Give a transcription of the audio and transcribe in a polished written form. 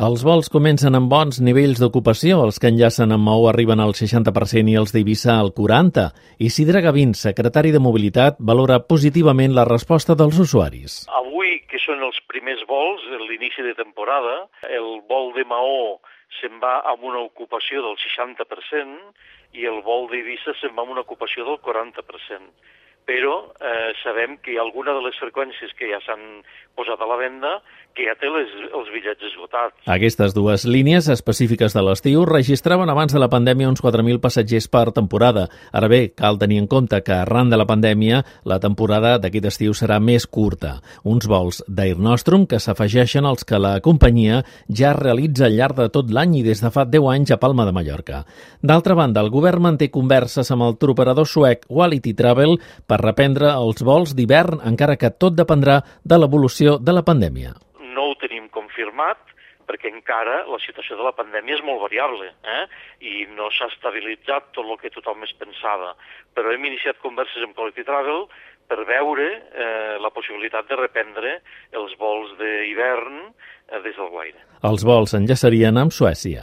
Els vols comencen amb bons nivells d'ocupació. Els que enllacen amb Maó arriben al 60% i els d'Eivissa al 40%. Isidre Gavín, secretari de Mobilitat, valora positivament la resposta dels usuaris. Avui, que són els primers vols, l'inici de temporada, el vol de Maó se'n va amb una ocupació del 60% i el vol d'Eivissa se'n va amb una ocupació del 40%. Però sabem que hi ha alguna de les freqüències que ja s'han posat a la venda que ja té els bitllets esgotats. Aquestes dues línies específiques de l'estiu registraven abans de la pandèmia uns 4.000 passatgers per temporada. Ara bé, cal tenir en compte que arran de la pandèmia la temporada d'aquest estiu serà més curta. Uns vols d'Air Nostrum que s'afegeixen als que la companyia ja realitza al llarg de tot l'any i des de fa 10 anys a Palma de Mallorca. D'altra banda, el govern manté converses amb el touroperador suec Quality Travel per reprendre els vols d'hivern, encara que tot dependrà de l'evolució de la pandèmia. No ho tenim confirmat, perquè encara la situació de la pandèmia és molt variable, i no s'ha estabilitzat tot el que tothom es pensava. Però hem iniciat converses amb Quality Travel per veure la possibilitat de reprendre els vols d'hivern des del Guaire. Els vols enllaçarien amb Suècia.